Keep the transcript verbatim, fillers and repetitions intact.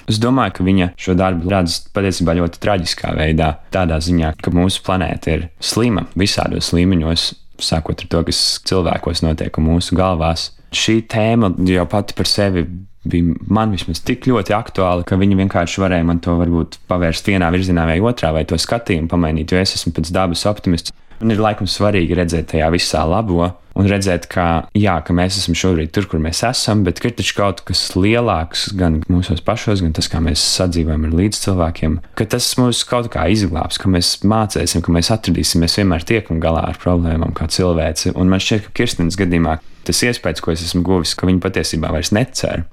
Es domāju, ka viņa šo darbu redz patiesībā ļoti traģiskā veidā, tādā ziņā, ka mūsu planēta ir slima visādos līmeņos, sākot ar to, kas cilvēkos notiek un mūsu galvās. Šī tēma jau pati par sevi bija man vismaz tik ļoti aktuāla, ka viņi vienkārši varēja man to varbūt pavērst vienā virzienā vai otrā, vai to skatījumu pamainīt, jo es esmu pēc dabas optimists. Un ir laikam svarīgi redzēt tajā visā labo un redzēt, ka, jā, ka mēs esam šobrīd tur, kur mēs esam, bet ir taču kaut kas lielāks gan mūsos pašos, gan tas, kā mēs sadzīvojam ar līdzcilvēkiem, ka tas mūs kaut kā izglābs, ka mēs mācēsim, ka mēs atradīsim, mēs vienmēr tiekam galā ar problēmām kā cilvēci. Un man šķiet, ka Kirstenes gadījumā tas iespējas, ko es esmu guvis, ka viņi patiesībā vairs necer.